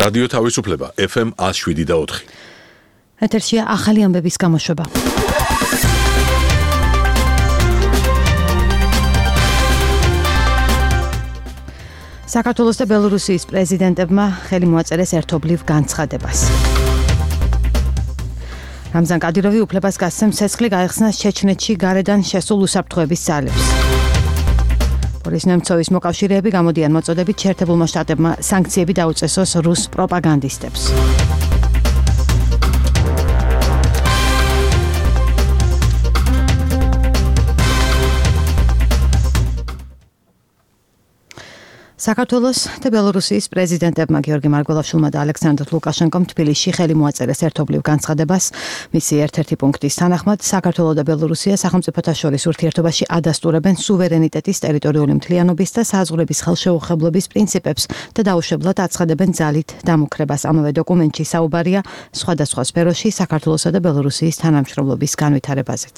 რადიო თავისუფლება FM 107.4. ეთერშია ახალი ამბების გამოშვება. საქართველოს და ბელორუსიის პრეზიდენტებმა ხელი მოაწერეს ერთობლივ განცხადებას. რამზან კადიროვი უფლებას გასცემს ცეცხლი გაეხსნა ჩეჩნეთში გარედან შესულ უსაფრთხოების ძალებს. ბორის ნემცოვის მოკავშირეები გამოდიან მოწოდებით შეერთებულმა შტატებმა სანქციები დაუწესოს რუს პროპაგანდისტებს. საქართველოს და ბელორუსიის პრეზიდენტებმა გიორგი მარგველაშვილმა და ალექსანდრ ლუკაშენკომ თბილისში ხელი მოაწერეს ერთობლივ განცხადებას. მისი ერთ-ერთი პუნქტის თანახმად საქართველო და ბელორუსია სახელმწიფოთა შორის ურთიერთობაში ადასტურებენ სუვერენიტეტის, ტერიტორიული მთლიანობის და საზღვრების ხელშეუხებლობის პრინციპებს და დაუშვებლად აცხადებენ ძალით დამუქრებას. ამავე დოკუმენტში საუბარია სხვადასხვა სფეროში საქართველოსა და ბელორუსიის თანამშრომლობის განვითარებაზეც.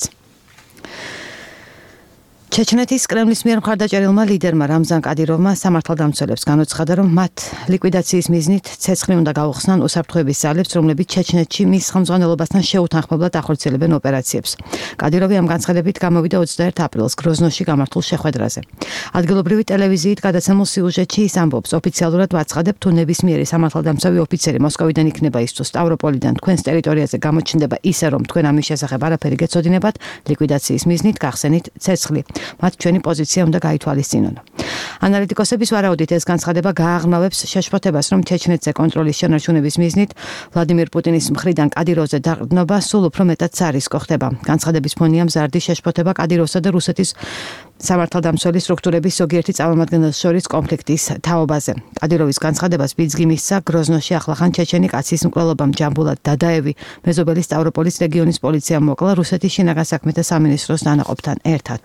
ჩეჩნეთის კრემლის მიერ მხარდაჭერილმა ლიდერმა რამზან კადიროვმა სამართალდამცველებს განუცხადა, რომ მათ ლიკვიდაციის მიზნით ცეცხლი უნდა გაუხსნან უსაფრთხოების ძალებს, რომლებიც ჩეჩნეთში მის ხელმძღვანელობასთან შეუთანხმებლად ახორციელებენ ოპერაციებს. კადიროვი ამ განცხადებით გამოვიდა 21 აპრილს გროზნოში გამართულ შეხვედრაზე. ადგილობრივი ტელევიზიით გადაცემულ სიუჟეტში ის ამბობს, ოფიციალურად ვაცხადებ, თუ ნებისმიერი სამართალდამცავი ოფიცერი მოსკოვიდან იქნება ის თუ სტავროპოლიდან თქვენს ტერიტორიაზე გამოჩნდება ისე, რომ თქვენ ამის შესახებ არაფერი გეცოდინებათ, ლიკვიდაციის მიზნით გახსენით ცეცხლი. მათ ჩვენი პოზიცია უნდა გაითვალისწინონ. ანალიტიკოსების ვარაუდით ეს განცხადება გააღრმავებს შეშფოთებას, რომ ჩეჩნეთზე კონტროლის შენარჩუნების მიზნით ვლადიმირ პუტინის მხრიდან კადიროვზე დაყრდნობა სულ უფრო მეტად ცარისკო ხდება. განცხადების ფონია მზარდი შეშფოთება კადიროვსა და რუსეთის სამართალდამცველი სტრუქტურების ზოგიერთი წარმომადგენელს შორის კონფლიქტის თაობაზე. კადიროვის განცხადებას ბიძგი მისცა გროზნოში ახლახან ჩეჩენი კაცის მკვლელობამ ჯამბულად დადაევი მეზობელი სტავროპოლის რეგიონის პოლიციამ მოკლა რუსეთის შინაგან საქმეთა სამინისტროს დანაყოფთან ერთად.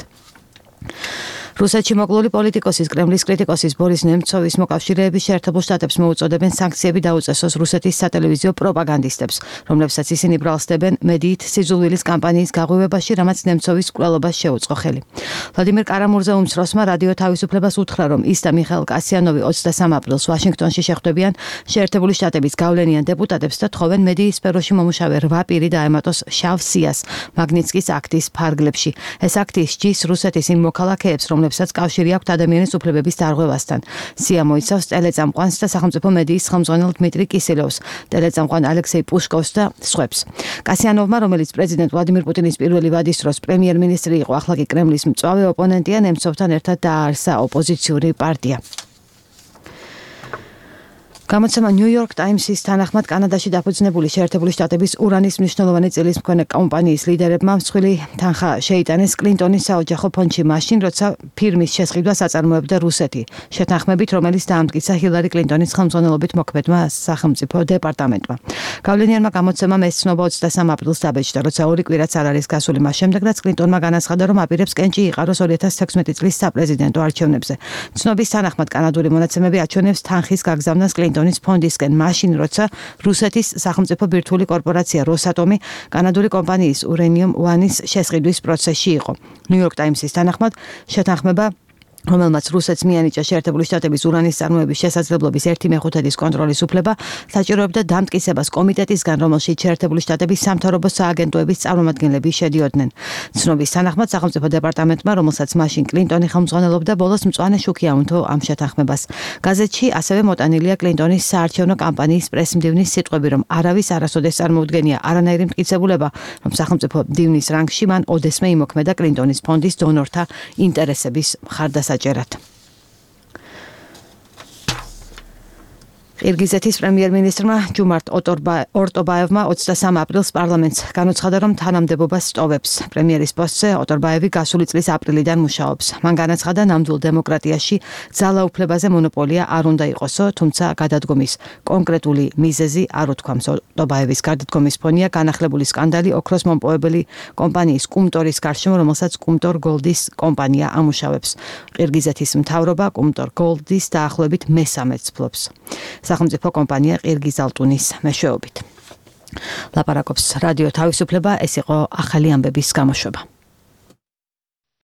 რუსეთში მოკლული პოლიტიკოსის კრემლის კრიტიკოსის ბორის ნემცოვის მოკავშირეების შეერთებულ შტატებს მოუწოდებენ სანქციები დაუწესოს რუსეთის სატელევიზიო პროპაგანდისტებს, რომლებსაც ისინი ბრალსდებენ მედიით სიძულვილის კამპანიის გაღვივებაში, რამაც ნემცოვის მკვლელობას შეუწყო ხელი. ვლადიმერ კარამურზე უმცროსმა რადიო თავისუფლებას უთხრა, რომ ის და მიხაილ კასიანოვი 23 აპრილს ვაშინგტონში შეხვდებიან შეერთებული შტატების გავლენიან დეპუტატებს და თხოვენ მედიის სფეროში მომუშავე 8 პირი დაემატოს შავ სიას მაგნიცკის აქტის ფარგლებში. ეს აქტი სჯის რუსეთის იმ მოქალაქეებს, რომლებსაც კავშირი აქვთ ადამიანის უფლებების დარღვევასთან. სია მოიცავს ტელეწამყვანს და სახელმწიფო მედიის ხელმძღვანელ დმიტრი კისელევს, ტელეწამყვან ალექსეი პუშკოვს და სხვებს. კასიანოვმა, რომელიც პრეზიდენტ ვლადიმირ პუტინის პირველი ვადის დროს პრემიერ-მინისტრი იყო, ახლა კი კრემლის მწვავე ოპონენტია, ნემცოვთან ერთად დააარსა ოპოზიციური პარტია. გამოცემა New York Times-ის თანახმად კანადაში დაფუძნებული შეერთებული შტატების ურანის მნიშვნელოვანი წილის მქონე კომპანიის ლიდერებმა მსხვილი თანხა შეიტანეს კლინტონის საოჯახო ფონდში მაშინ, როცა ფირმის შესყიდვას აწარმოებდა რუსეთი, შეთანხმებით, რომელიც დაამტკიცა ჰილარი კლინტონის ხელმძღვანელობით მოქმედმა სახელმწიფო დეპარტამენტმა. გავლენიანმა გამოცემამ ეს ცნობა 23 აპრილს დაბეჭდა, როცა ორი კვირაც არ არის გასული მას შემდეგ, რაც კლინტონმა განაცხადა, რომ აპირებს კენჭი იყაროს 2016 წლის საპრეზიდენტო არჩევნებზე. ცნობის თანახმად კანადური მონაცემები აჩვენებს თანხის გაგზავნას კლინტონის ფონდისკენ მაშინ, როცა რუსეთის სახელმწიფო ბირთვული კორპორაცია როსატომი კანადური კომპანიის ურანიუმ 1-ის შესყიდვის პროცესში იყო. New York Times-ის თანახმად შეთანხმება, რომელმაც რუსეთს მიანიჭა შეერთებული შტატების ურანის წარმოების შესაძლებლობის 1/5 კონტროლის უფლება, საჭიროებდა დამტკიცებას კომიტეტისგან, რომელშიც შეერთებული შტატების სამთავრობო სააგენტოების წარმომადგენლები შედიოდნენ. ცნობის თანახმად სახელმწიფო დეპარტამენტმა, რომელსაც მაშინ კლინტონი ხელმძღვანელობდა, ბოლოს მწვანე შუქი აუნთო ამ შეთანხმებას. გაზეთში ასევე მოტანილია კლინტონის საარჩევნო კამპანიის პრესმდივნის სიტყვები, რომ არავის არასოდეს წარმოუდგენია არანაირი მტკიცებულება, რომ სახელმწიფო მდივნის რანგში მან ოდესმე იმოქმედა კლინტონის ფონდის დონორთა ინტერესების მხარდასაჭერად. ყირგიზეთის პრემიერ-მინისტრმა ჯუმარტ ორტობაევმა 23 აპრილს პარლამენტს განუცხადა, რომ თანამდებობას სტოვებს. პრემიერის პოსტზე ორტობაევი გასული წლის აპრილიდან მუშაობს. მან განაცხადა, ნამდვილ დემოკრატიაში ძალაუფლებაზე მონოპოლია არ უნდა იყოსო, თუმცა გადადგომის კონკრეტული მიზეზი არ უთქვამს. ორტობაევის გადადგომის ფონია განახლებული სკანდალი ოქროს მომპოვებელი კომპანიის კუმტორის გარშემო, რომელსაც კუმტორ გოლდის კომპანია ამუშავებს. ყირგიზეთის მთავრობა კუმტორ გოლდის დაახლოებით მესამედს ფლობს. სახელმწიფო კომპანია ყირგიზალტუნის მეშვეობით. ლაპარაკობს რადიო თავისუფლება, ეს იყო ახალი ამბების გამოშვება.